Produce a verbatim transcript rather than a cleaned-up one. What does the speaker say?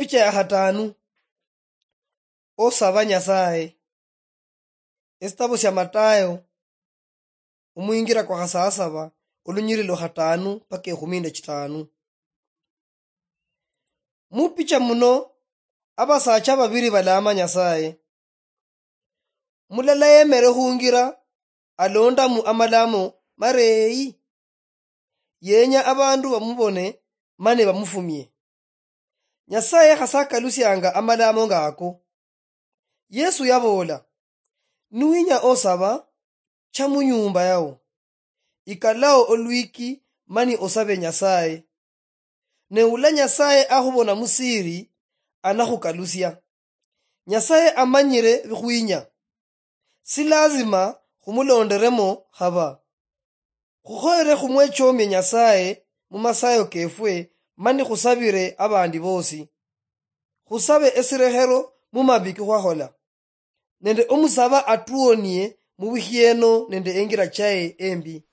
Picha ya khatanu. Osaba Nyasaye. Esitabo sia Matayo, omwingira kwa khasasaba, olunyiriri lwa khatanu paka ekhumi nende chitanu. Mupicha muno, abasacha babiri balama Nyasaye. Mulala yemere khungira, alondamu amalamo mareyi. Yenya abandu bamubone mani bamufumie. Nyasaye khasakalusianga amalamo ngako. Yesu yaboola, "Nuwinya osaba, cha munyumba yao, ikalao olwiki mani osabe Nyasaye. Ne ula Nyasaye akhubona musiri, anakhukalusia." Nyasaye amanyire bikhwinya. Si lazima khumulonderemo khaba. Khukhoyere khumwechomie Nyasaye mumasayo kefwe, mani khusabire abandi bosi. Khusabe esirekhero mumabi kikhwakhola, nende omusaba atuonie mubikhieno nende engira chaye embi.